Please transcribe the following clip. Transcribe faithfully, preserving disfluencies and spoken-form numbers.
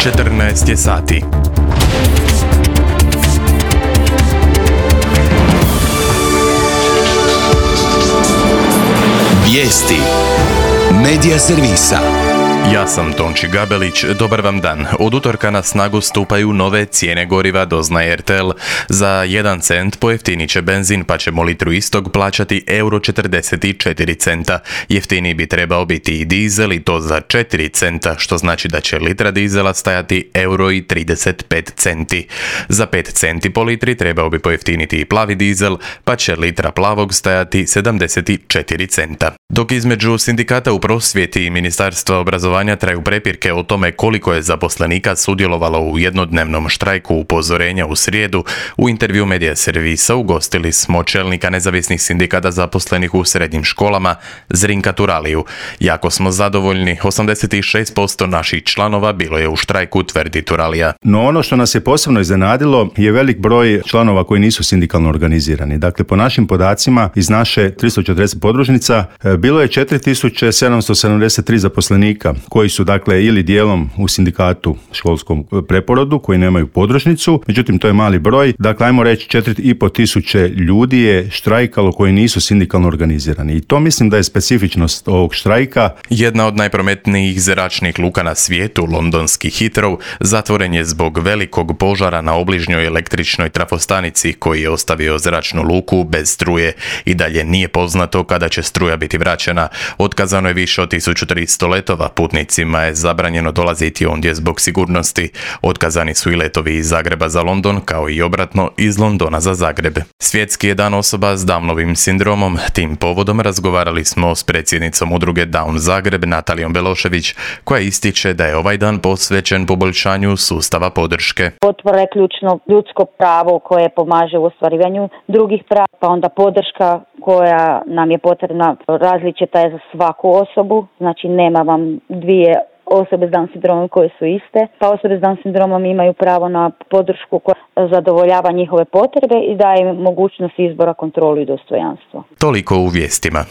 četrnaest je sati. Vijesti Medija servisa. Ja sam Tonči Gabelić, dobar vam dan. Od utorka na snagu stupaju nove cijene goriva, doznaje R T L. Za jedan cent pojeftinit će benzin, pa ćemo litru istog plaćati euro četrdeset četiri centa. Jeftiniji bi trebao biti i dizel, i to za četiri centa, što znači da će litra dizela stajati euro i trideset pet centi. Za pet centi po litri trebao bi pojeftiniti i plavi dizel, pa će litra plavog stajati sedamdeset četiri centa. Dok između sindikata u prosvjeti i Ministarstva obrazovanja traju prepirke o tome koliko je zaposlenika sudjelovalo u jednodnevnom štrajku upozorenja u srijedu, u intervju Medija servisa ugostili smo čelnika nezavisnih sindikata zaposlenih u srednjim školama, Zrinka Turaliju. Jako smo zadovoljni, osamdeset šest posto naših članova bilo je u štrajku, tvrdi Turalija. No ono što nas je posebno iznenadilo je velik broj članova koji nisu sindikalno organizirani. Dakle, po našim podacima iz naše tristo četrdeset podružnica bilo je četiri tisuće sedamsto sedamdeset tri zaposlenika koji su dakle ili dijelom u sindikatu školskom preporodu koji nemaju podružnicu, međutim to je mali broj. Dakle, ajmo reći četiri i pol tisuće ljudi je štrajkalo koji nisu sindikalno organizirani i to mislim da je specifičnost ovog štrajka. Jedna od najprometnijih zračnih luka na svijetu, londonski Heathrow, zatvoren je zbog velikog požara na obližnjoj električnoj trafostanici koji je ostavio zračnu luku bez struje. I dalje nije poznato kada će struja biti vraćena. Otkazano je više od tisuću tristo letova, putnicima je zabranjeno dolaziti ondje zbog sigurnosti. Otkazani su i letovi iz Zagreba za London, kao i obratno iz Londona za Zagreb. Svjetski je dan osoba s Downovim sindromom. Tim povodom razgovarali smo s predsjednicom udruge Down Zagreb, Natalijom Belošević, koja ističe da je ovaj dan posvećen poboljšanju sustava podrške. Potpora je ključno ljudsko pravo koje pomaže u ostvarivanju drugih prava, pa onda podrška koja nam je potrebna različita je za svaku osobu, znači nema vam dvije osobe s Down sindromom koje su iste, pa osobe s Down sindromom imaju pravo na podršku koja zadovoljava njihove potrebe i daje im mogućnost izbora, kontrolu i dostojanstvo. Toliko u vijestima.